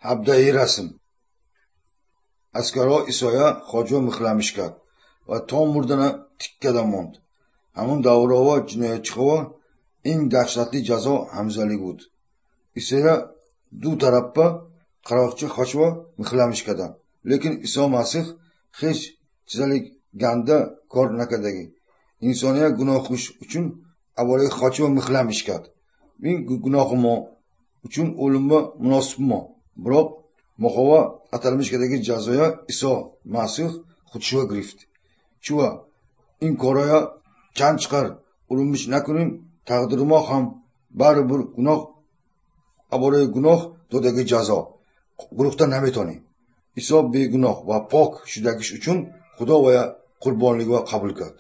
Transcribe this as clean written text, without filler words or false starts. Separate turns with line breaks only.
17 расм. Аскарҳо Исоя хоҷа михламиш кард ва то мурдана тик карда монд. Ҳамун давраҳо ҷиноятчихо eng dahshatli jazo hamzalik буд. Исоя ду тараппа qaroqchi xochva mixlamish кардан. Лекин Исо Масих ҳеҷ чизalik ganda кор накардаги. Инсония гуноҳиш uchun avvaliga xochva mixlamish кард. Ин гуноҳи мо uchun o'limga munosibmo. Biroq moxova atalmish кардagi jazoya Исо Масих худшува гирифт. Чува ин короя чанд чиқар urinmish накунем, тақдири мо ҳам барибир гуноҳ абораи гуноҳ додаги ҷазо гурӯхта наметонем. Исо бегуноҳ ва пок шудагиш uchun Худо вая қурбонлигва қабул кард.